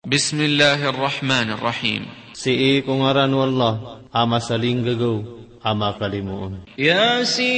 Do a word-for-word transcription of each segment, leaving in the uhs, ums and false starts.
Bismillahir Rahmanir Rahim. Sii ko ngaran o Allah, a masalinggagaw, a makalimoon. Yasin.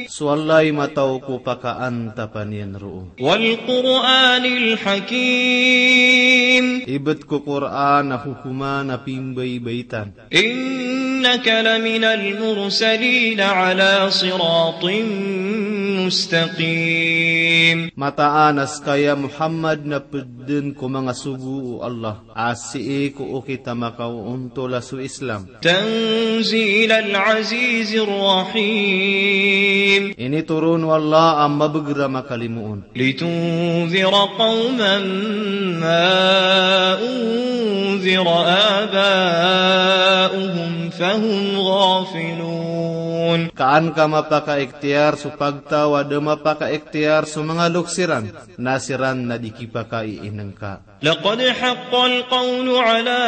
So Allah i mataw ko pakaantapan iyan roo. Wal Qur'anil Hakim. Ibt ko Qur'an a hokoman a pimbaybaitan. Innaka laminal mursalin ala siratin mustaqim. Mataan a ska ya Muhammad na pd dn ko manga sogo o Allah a sii ko okit a makaontol a so Islam. Tanzilal azizir rahim. Initoron o Allah a mabagr a makalimoon. Litunzira qawman ma unzira aba'uhum fahum ghafilun. Ka an ka mapakaikhtiyar so pagtaw a da mapakaikhtiyar so manga loks iran, na siran na di kipakaiinngka. Laqad haqqal qawlu ala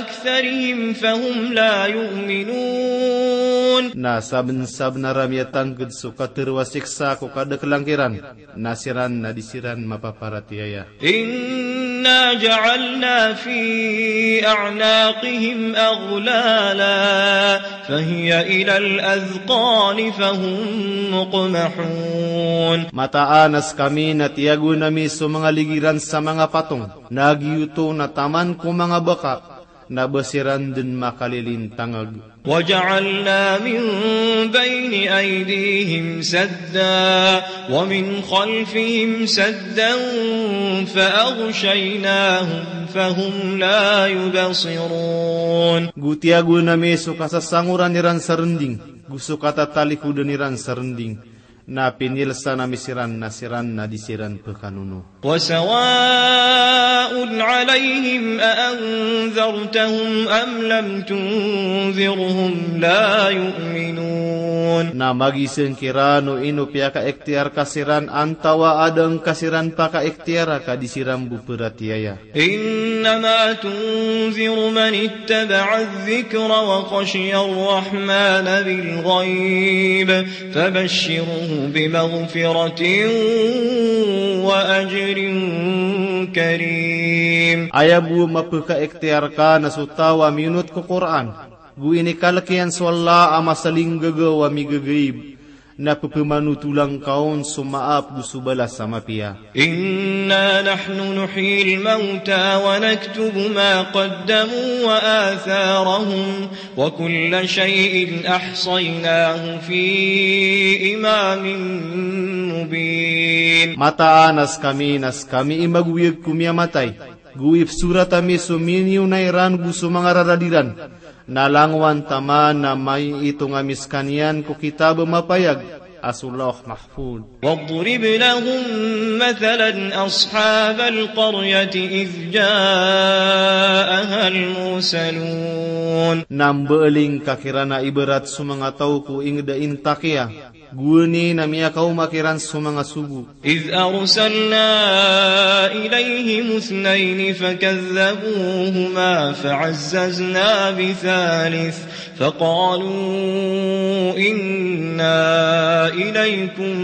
aktharihim fahum la yu'minun. Na sabnsabnar a miyatangkd so katharo a siksa ko kadaklan kiran, na siran na di siran mapaparatiyaya. Inna ja'alna fi a'naqihim aghlala fahiya ilal adhqani fahum muqmahun. Mataan a skami na tiyagoan ami so manga ligi ran sa manga patong, na giyoto na taman ko manga baka, na ba siran dn makalilintangag. Wa ja'alna min bayni aydihim sadda wa min khalfihim saddan fa aghshaynahum fahum la yubsirun. Go tiyagoan ami so kasasangoran iran sa rnding, go so katatalikodan iran sa rnding. Na pinilsan ami siran na siran na di siran pkanono. Wa sawa'un alayhim a anzartahum am lam tunzirhum la yu'minun. Na magisng kiran o ino piyakaikhtiyar ka siran antawaa da ngka siran pakaikhtiyara ka di siran bo pharatiyaya. Innama tunziru man ittaba'a adh-dhikra wa khashiya ar-rahmana bil ghayb fabashshirhu bi maghfiratin wa ajrin karim. Aya bo a mapkhaiktiyar ka na so taw a miyonot ko Qur'an, go inikalk iyan so Allah a masalinggagaw a migagayb, na pphmanotola ngka on so maap go so balas a mapiya. Inna nahnu nuhyil mawta wa naktubu ma qaddamu wa atharahum wa kulla shay'in ahsaynahu fi imamin mubin. Mataan a skami na skami i magoyag ko miyamatay, go ipsorat ami so miniyonayan iran go so manga rarad iran. Na langowan taman na maiitong ami skaniyan ko kitab a mapayag a so Lawh Mahfuz. Wadrib lahum mathalan ashabal qaryati idh ja'ahal mursalun. Na mbaaling ka kiran a ibarat so manga taw ko ingd a intakiya, gowani na miyakaoma kiran so manga sogo. Idh arsalna ilayhim ithnayni fakadhdhabuhuma fa'azzazna bithalith faqalu inna ilaykum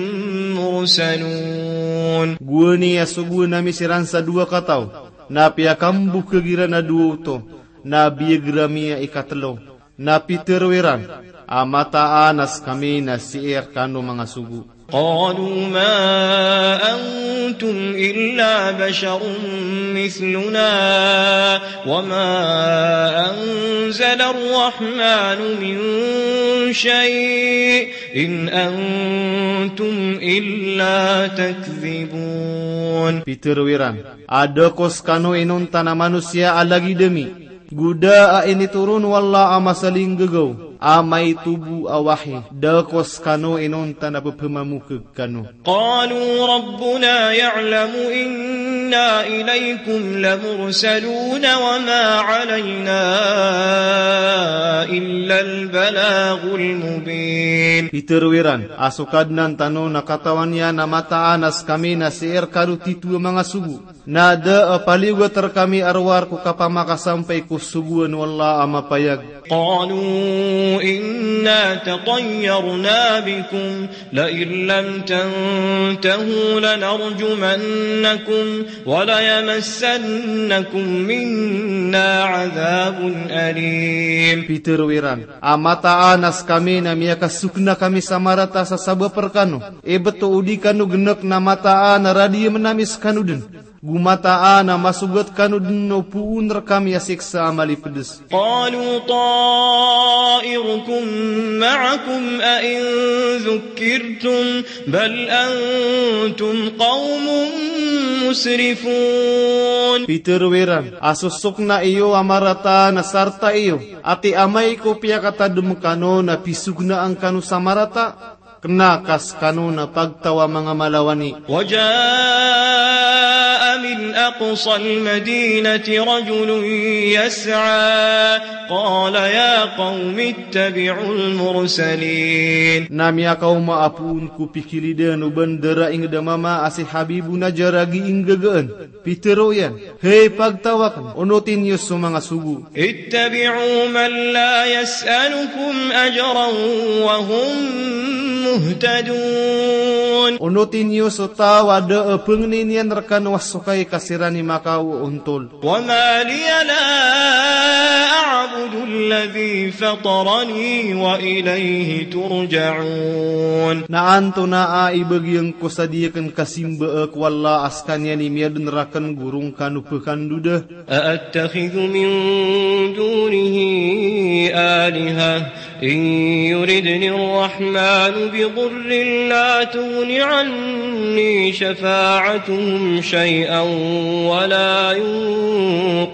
mursalun. Gowani a sogoan ami siran sa dowa kataw, na piyakambokhag iran a dowa oto, na biyagr ami a ikatlo. Na pitharo iran a mataan a skami na sii rkano manga sogo. Qalu ma antum illa basharun mithluna wa ma anzala ar-rahmanu min shay' in antum illa takdhibun. Pitharo iran a da ko skano inonta na manosiya a lagid ami, go da a initoron o Allah a masalinggagaw a maito bo a wahi, da ko skano inonta na pphmamokhag kano. Qalu rabbuna ya'lamu inna ilaykum lamursalun wa ma alayna illal balaghul mubin. Pitharo iran a so Kadnan tano na katawan iyan a mataan a skami na sii rkano titho a manga sogo. Na da a paliyogat rkami a rowar ko kapamakasampay ko sogoan o Allah a mapayag. قالوا إنا تطيرنا بكم لئن لم تنتهوا لنرجمنكم وليمسنكم منا عذاب أليم. Pitharo iran a mataan a skami na miyakasokna kami sa marata sa sabap rkano. Ibt o di kano gnk na mataan a radiyamn ami skano dn. Go mataan a masogat kano dn o poon rkami a siksa a malipds. قالوا طائركم معكم أئن ذكرتم بل أنتم قوم مسرفون. Pitharo iran a so sokna iyo a marata na sarta iyo, ati amay ko piyakatadm kano na pisoknaan kano sa marata. Kna ka skano na pagtaw a manga malawani. وجاء من أقصى المدينة رجل يسعى قال يا قوم اتبعوا المرسلين. Na miyakaoma a poon ko pikilidan o bandar a ingd a mama a si Habibun Najjar a gii nggagaan. Pitharo iyan, hay pagtaw akn, onoti niyo so manga sogo. اتبعوا من لا يسألكم أجرا وهم مهتدون. Onoti niyo so taw a da a pangnin iyan rkano a sokay ka siran i makaoontol. وما لي لا أعبد الذي فطرني وإليه ترجعون. Na antonaa i bagiyan ko sa di akn kasimbaa ko Allah a skaniyan i miyadn rakn go roo ngka no pkhandoda. أأتخذ من دونه آلهة إن يردن الرحمن بضر لا تغن عني شفاعتهم شيئا ولا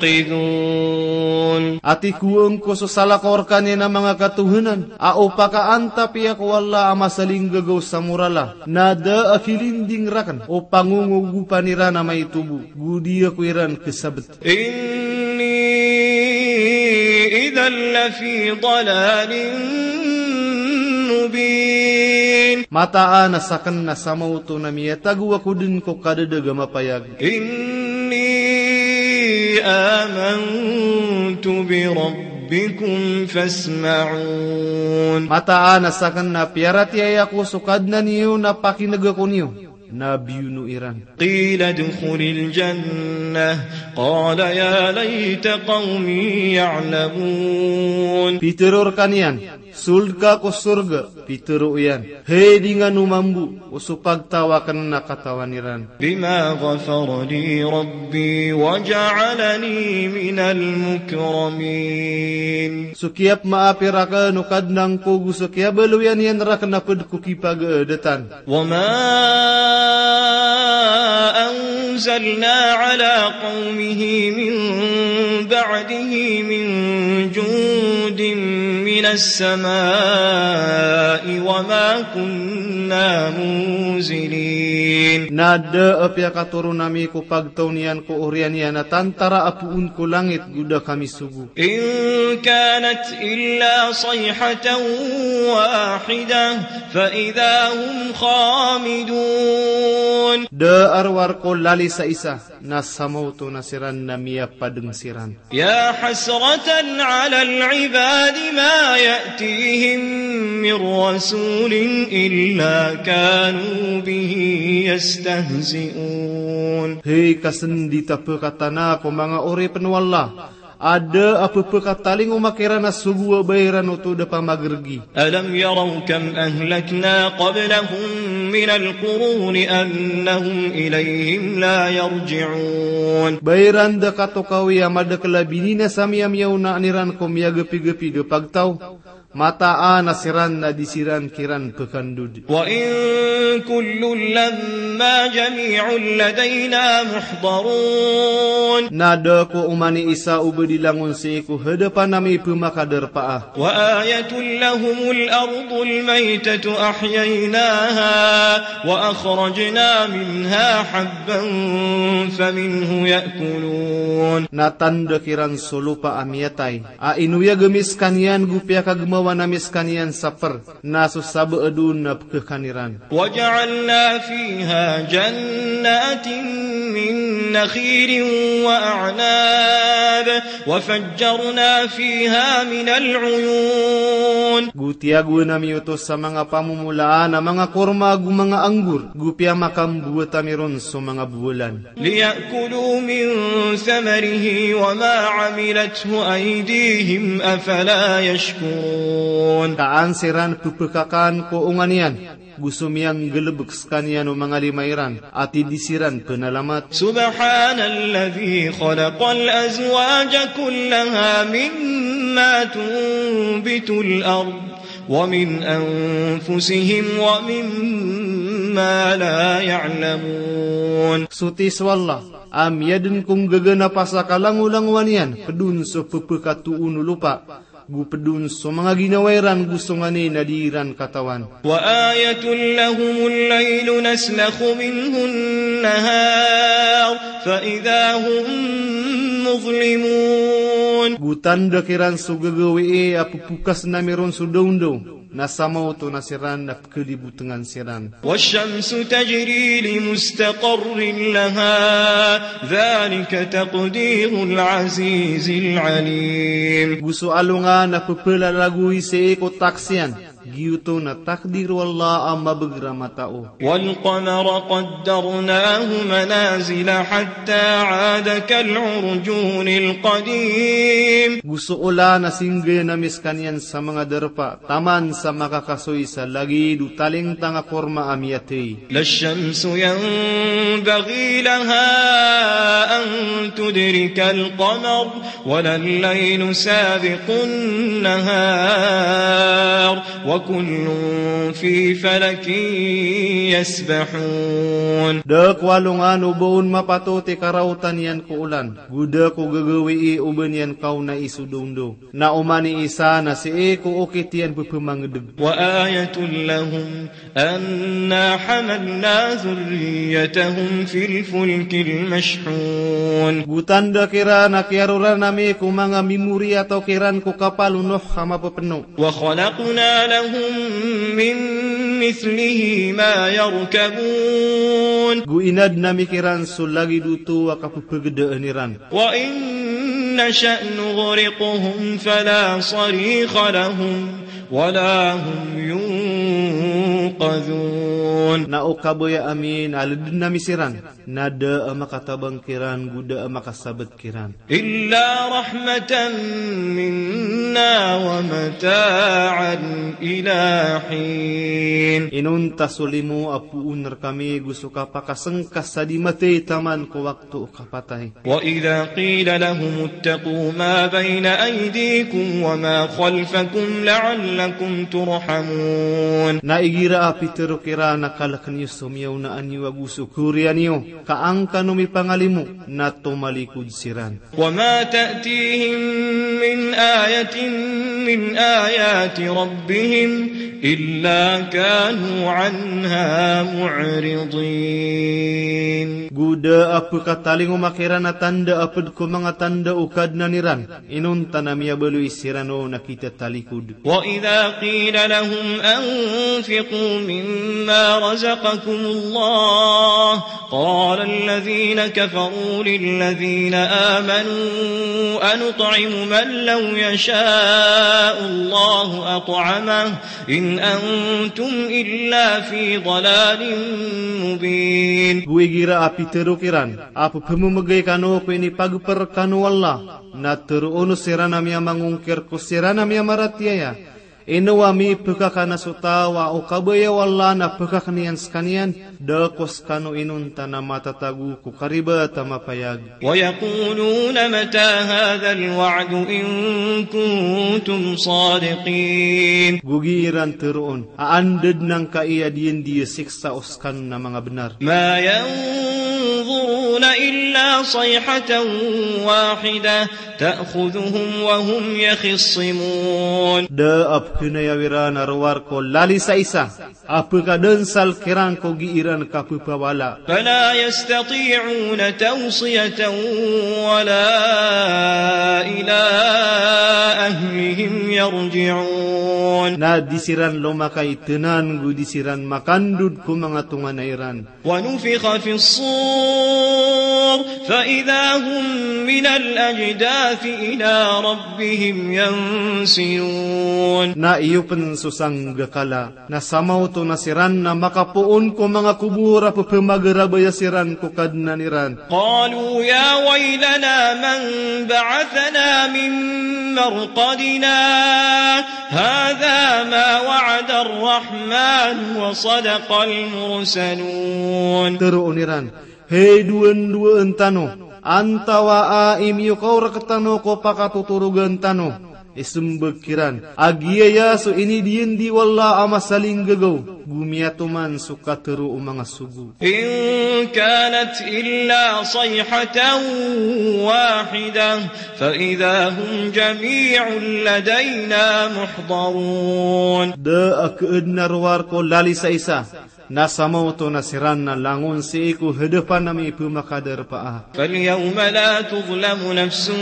ينقذون. Ati ko angko so salakaw rkaniyan a manga katohanan a o pakaantap iyan ko Allah a masalinggagaw sa morala, na da a kilinding rakn o pangongogopan iran a maito bo, go di ako iran khasabt. إني إذا لفي ضلال مبين. Mataan a sakn na sa maoto na miyatago ako dn ko kadadag a mapayag. إني آمنت بربكم فاسمعون. Mataan a sakn na piyaratiyaya ko so Kadnan iyo na pakinega ko niyo. Na biyono iran. قيل ادخل الجنة قال يا ليت قومي يعلمون. Pitharo rkaniyan, sold ka ko sorga. Pitharo iyan, hay di ngka no mambo o so pagtaw akn na katawan iran. بما غفر لي ربي وجعلني من المكرمين. So kiyapmaap rakn o Kadnan ko go so kiyabaloyan iyan rakn a pd ko kipagaadatan. وما أنزلنا على قومه من بعده من جند من السماء وما كنا منزلين. Na da a piyakatoron ami ko pagtaw niyan ko oriyan iyan a tantara a poon ko langit go da kami sogo. إن كانت إلا صيحة واحدة فإذا هم خامدون. Da a rowar ko lali sa isa, na sa maoto na siran na miyapadng siran. يا حسرة على العباد ما يأتيهم من رسول إلا كانوا به يستهزئون. Hay kasndit a pkatana ko manga oripn o Allah, a da a pphakatalingoma kiran a sogo a ba iran oto da pamagrgi. ألم يروا كم أهلكنا قبلهم من القرون أنهم إليهم لا يرجعون. Ba iran da katokawi a madakl a bininasa a miyamiyaona iran ko miyagapigapig a pagtaw, mataan a siran na di siran kiran pkhandod. وإن كل لما جميع لدينا محضرون. Na da ko oman i isa o ba di langon sii ko hadapan ami pmakadarpaa. وآية لهم الأرض الميتة أحييناها وأخرجنا منها حبا فمنه يأكلون. Na tanda kiran so lopa a miyatay a inoyag ami skaniyan go piyakagmawa Oway, na miskaniyan sa per, na so sabaad on na pekakan iran. وجعلنا فيها جنات من نخيل وأعناب وفجرنا فيها من العيون. Go tiyagoan ami oto sa manga pamomolaan a manga korma ago manga anggur, go piyamakamboat ami ron so manga bowalan. ليأكلوا من ثمره وما عملته أيديهم أفلا يشكرون. Ka an siran pepekakan ko onga niyan, go so miyanggalebek sekaniyan o manga lima iran, a tig siran penalamat. سبحان الذي خلق الأزواج كلها مما تنبت الأرض ومن أنفسهم ومما لا يعلمون. Soti so Allah a miyaden ko nggaga na pasakalangolangowan iyan, ped on so pepekatoon o lopa, go ped on so manga ginawa iran go so nganin a di iran katawan. وآية لهم الليل نسلخ منه النهار فإذا هم مظلمون. Go tanda kiran so gagawii a pepokasen ami ron so dawndaw, na samaoto na siran na pekelibotengan siran. والشمس تجري لمستقر لها ذلك تقدير العزيز العليم. Go so alongan a pepelalagoy sii ko taksiyan, giyoto na takdir o Allah a mabeg ramatao. والقمر قدرناه منازل حتى عاد كالعرجون القديم. Go so olan a singgay ami sekaniyan sa manga darpa, taman sa makakasoy sa lagid o talingtang a korma a miyatey. لا الشمس ينبغي لها أن تدرك القمر ولا الليل سابق النهار وكل في فلك يسبحون. Da ko alongan o ba on mapatot i karaotan iyan ko olan, go da ko gagawii o ba niyan kaonai so dawndaw. Na oman i isa na sii ko okit iyan pepemangedeg. وآية لهم أنا حملنا ذريتهم في الفلك المشحون. Go tanda kiran a kiyaroran ami ko manga mimoriyataw kiran ko kapal o Nuh a mapepeno. وخلقنا لهم من مثله ما يركبون. Go inaden ami kiran so lagid oto a kapepegedaan iran. وإن نشأ نغرقهم فلا صريخ لهم ولا هم ينقذون. Na o kabaya ami na leden ami siran, na da a makatabang kiran, go da a makasabet kiran. إلا رحمة منا ومتاعا إلى حين. Inonta so limo a poon rekami go so kapakasengka sa di matey taman ko wakto o kapatay. وإذا قيل لهم اتقوا ما بين أيديكم وما خلفكم لعلكم ترحمون. Na igira a pitero kiran a kalek niyo so miyaonaan iyo ago so koriyan iyo, ka an kano mipangalimo, na tomalikod siran. وما تأتيهم من آية من آيات ربهم إلا كانوا عنها معرضين. Go da a pekatalingoma kiran a tanda a ped ko manga tanda o Kadnan iran, inonta na miyabaloy siran on a kitatalikod. وإذا قيل لهم أنفقوا مما رزقكم الله قال الذين كفروا للذين آمنوا أنطعم من لو يشاء الله أطعمه إن أنتم إلا في ضلال مبين. Go igira a pitero kiran a pepememegay kano ko inipageper kano o Allah, na teroon o siran a miyamangongkir ko siran a miyamaratiyaya. Ino a mipekakana so taw a o kabaya o Allah na pekaken iyan sekaniyan, da ko sekano inonta na matatago ko karibat a mapayag. ويقولون متى هذا الوعد إن كنتم صادقين. Go giya iran teroon a anda den angkai a diyandiya siksa o sekano na manga benar. ما ينظرون إلا صيحة واحدة تأخذهم وهم يخصمون. Da a pkhayaw iran a rowar ko lali sa isa a pkadnsal kiran ko gii ran kapphawala. فلا يستطيعون توصية ولا إلى أهلهم يرجعون. Na di siran lomakay tnan go di siran makandod ko manga tonganay ran. ونفخ في الصور فإذا هم من الأجداث إلى ربهم ينسلون. Na iyo pn so sanggakala, na sa maoto na siran na makapoon ko manga kobor a pphamagarabayas iran ko Kadnan iran. قالوا يا ويلنا من بعثنا من مرقدنا هذا ما وعد الرحمن وصدق المرسلون. Tharoon iran, hay dowan-dowan tano, antawaa i miyokaor rktano ko pakatotorogan tano? Ismbag kiran a giyaya so inidiyandi o Allah a masalinggagaw, go miyatoman so katharo o manga sogo. إن كانت إلا صيحة واحدة فإذا هم جميع لدينا محضرون. Da a khaadn a rowar ko lali sa isa, na sa maoto na siran na langon sii ko hadapan ami pmakadarpa a. فاليوم لا تظلم نفس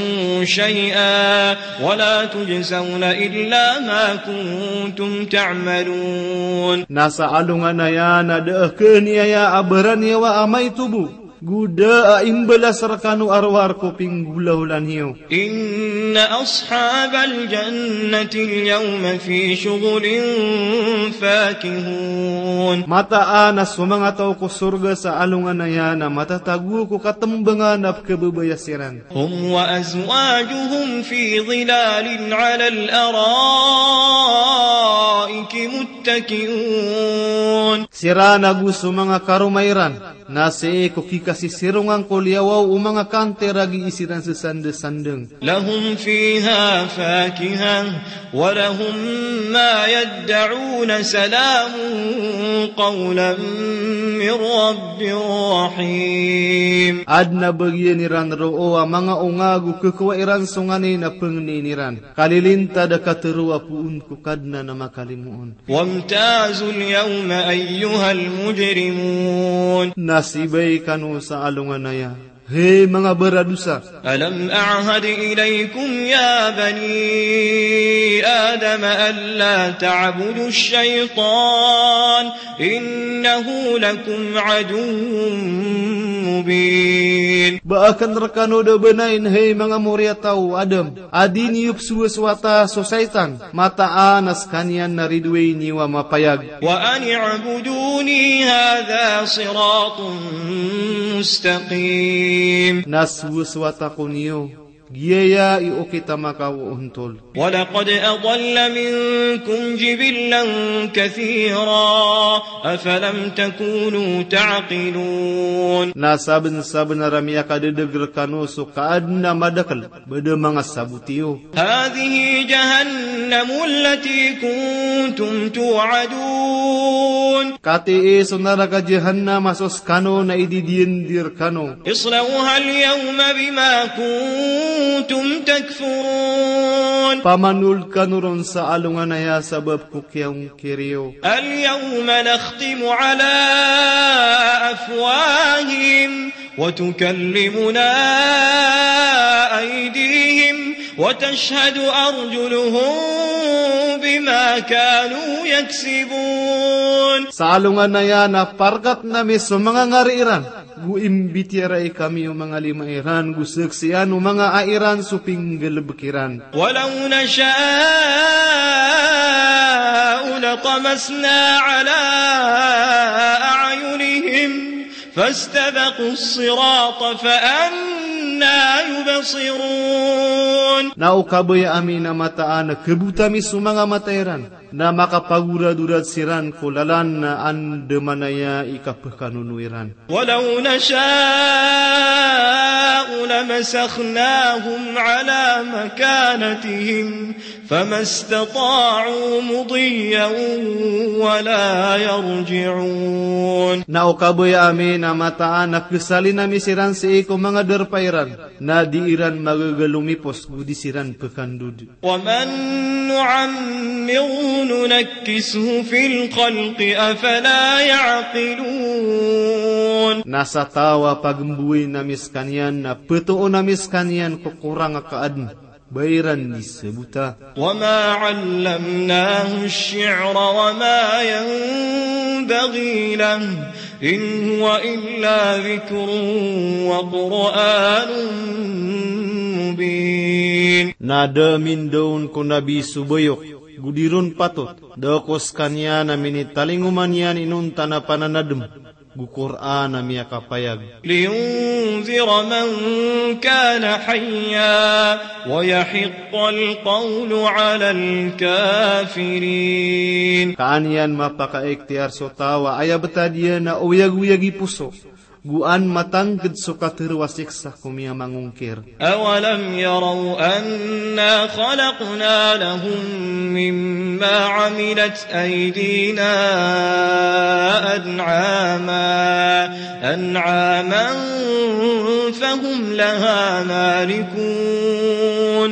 شيئا ولا تجزون إلا ما كنتم تعملون. Na sa alongan aya na da a khaaniyaya a baraniyawa a maito bo, go da a imbalas rkano a rowar ko pinggolaola niyo. إن أصحاب الجنة اليوم في شغل فاكهون. Mataan a so manga taw ko sorga sa alongan aya na matatago ko katmbangan a pkhababaya siran. هم وأزواجهم في ظلال على الأرائك متكئون. Siran ago so manga karoma iran na sii ko kikasisirongan ko liyawaw o manga kantir a gii siran sasandasandng. لهم فيها فاكهة ولهم ما يدعون سلام قولا من رب رحيم. Adn a bagian iran roo a manga onga go khakowa iran so nganin a pangnin iran. Kalilintad a katharo a poon ko Kadnan a makalimoon. وامتازوا اليوم أيها المجرمون. Na sibay kano sa alongan aya, hay manga baradosa. ألم أعهد إليكم يا بني آدم ألا تعبدوا الشيطان إنه لكم عدو مبين. Ba akn rkano da bnain, hay manga moriyataw o Adam, a di niyo psowasowata so shaytan, mataan a skaniyan na ridoay niyo a mapayag. وأن اعبدوني هذا صراط مستقيم. Na sowasowata ko niyo, giyaya i okit a makaoontol. ولقد أضل منكم جبلا كثيرا أفلم تكونوا تعقلون. Na sabnsabnar a miyakadadg rkano so kaadn a madakl, ba da manga sabot iyo. هذه جهنم التي كنتم توعدون. Katii so naraka Jahannam a so skano na ididiyandi rkano. اصلوها اليوم بما كنتم تكفرون. Pamanold kano ron sa alongan aya sabap ko kiyangkir iyo. اليوم نختم على أفواههم وتكلمنا أيديهم وتشهد أرجلهم بما كانوا يكسبون. Sa alongan aya na parkatn ami so manga ngari iran, go imbitiyarai kami o manga lima iran, go saksian o manga ai iran so pinggalbk iran. ولو نشاء لطمسنا على أعينهم فاستبقوا الصراط فأنى يبصرون. Na o kabaya ami na mataan a khabota mi so manga mata iran, na makapagoradorad siran ko lalan na andamanaya i kapekanono iran. ولو نشاء لمسخناهم على مكانتهم فما استطاعوا مضيا ولا يرجعون. Na o kabaya ami na mataan a kesalin ami siran sii ko manga darpa iran, na di iran magaga lomipos go di siran pekandod. ومن نعمره ننكسه في الخلق أفلا يعقلون. Na sa taw a pagemboyin ami sekaniyan, na petoon ami sekaniyan ko korang a kaadn, ba iran di sebota. وما علمناه الشعر وما ينبغي له إن هو إلا ذكر وقرآن مبين. Na da a mindaon ko Nabi so bayok, go di ron patot, da ko sekaniyan a minitalingoma niyan inonta na pananadem, go Qur'an a miyakapayag. لينذر من كان حيا ويحق القول على الكافرين. Ka an iyan mapakaikhtiyar so taw a aya betad iyan a oyagoyag i poso, go an matangked so katero a siksa ko miyamangongkir. أولم يروا أنا خلقنا لهم مما عملت أيدينا أنعاما، أنعاما فهم لها مالكون.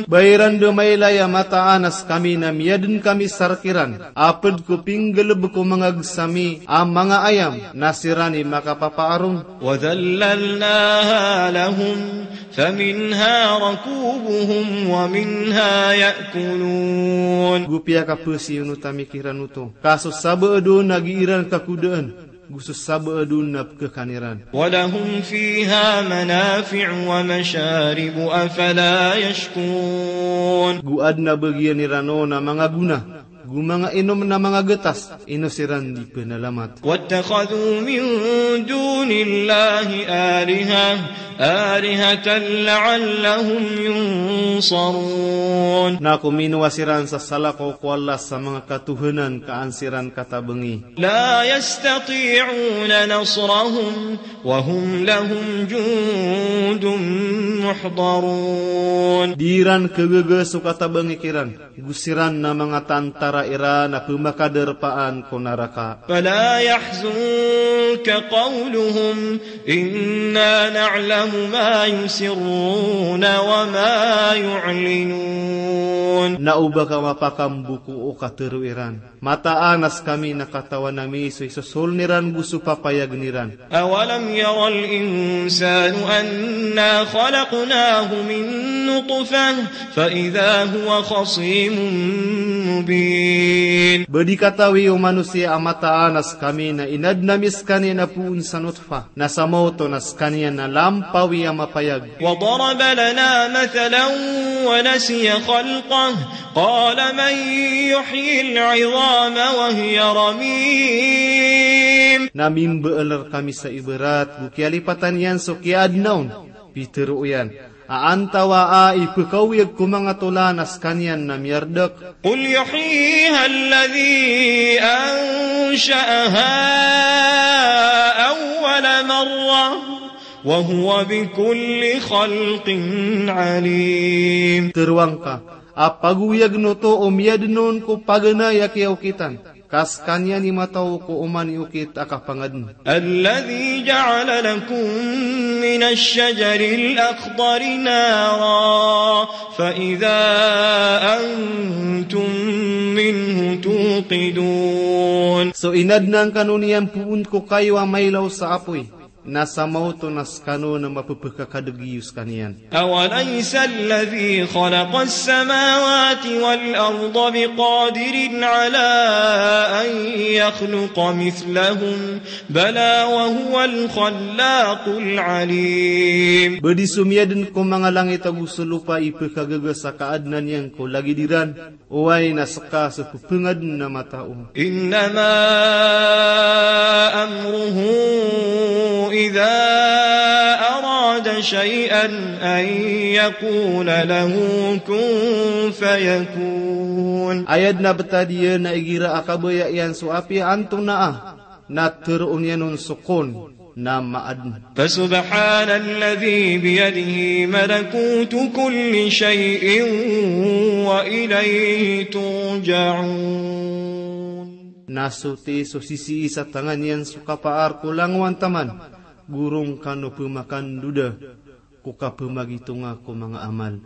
Ba iran da mailay a mataan a sekami na miyaden kami sa rekiran a ped ko pinggaleb ko manga gesa mi a manga ayam, na siran i makapapaarong. وذللناها لهم فمنها ركوبهم ومنها يأكلون. Go piyakapesiyonot ami kiran oto, ka so sabaad on na gi iran kakodaan, go so sabaad on na pekekan iran. ولهم فيها منافع ومشارب أفلا يشكرون. Go aden a bagian iran on a manga gona, go manga inom na manga getas, ino siran di penalamat. واتخذوا من دون الله آلهة، آلهة لعلهم ينصرون. Na kominowa siran sa salakaw ko Allah sa manga katohanan ka an siran katabengi. لا يستطيعون نصرهم وهم لهم جند محضرون. Di iran kagaga so katabengi kiran, go siran na manga tantara iran a pemakadarpaan ko naraka. فلا يحزنك قولهم إنا نعلم ما يسرون وما يعلنون. Na oba ka mapakambo ko o katero iran. Mataan a sekami na katawan ami so isosoln iran go so papayagen iran. أولم ير الإنسان أنا خلقناه من نطفة فإذا هو خصيم مبين. Ba di katawi o manosiya a mataan a sekami na inaden ami sekaniyan a poon sa nutfah, na sa maoto na sekaniyan na lampawi a mapayag. وضرب لنا مثلا ونسي خلقه قال من يحيي العظام وهي رميم. Na mimbaal rekami sa ibarat, go kiyalipatan iyan so kiyaadna on, pitero iyan a antawaa i pekaoyag ko manga tolan a sekaniyan na miyardek. قل يحييها الذي أنشأها أول مرة وهو بكل خلق عليم. Tero angka a pagoyagen oto o miyaden on ko paganay a kiyaokitan, ka sekaniyan i mataw ko oman i okit a kapangaden. الذي جعل لكم من الشجر الأخضر نارا فإذا أنتم منه توقدون. So inaden angkano niyan poon ko kayo a mailaw sa apoy, na sa maoto na sekano na mapepekakadeg iyo sekaniyan. أوليس الذي خلق السماوات والأرض بقادر على أن يخلق مثلهم بلى وهو الخلاق العليم. Ba di so miyaden ko manga langit ago so lopa i pekagaga sa kaadnan iyan ko lagid iran, oway na seka so pepengaden a matao. إنما أمره إذا أراد شيئا أن يقول له كن فيكون. Aya dn a btad iyan a igira a kabaya iyan so apiya antonaa, na tharoon iyan on so kun, na maadn. فسبحان الذي بيده ملكوت كل شيء وإليه ترجعون. Na soti so sisii sa tangan iyan so kapaar ko langowan taman, go roo kano pmakandoda ko kapmagitonga ko manga amal.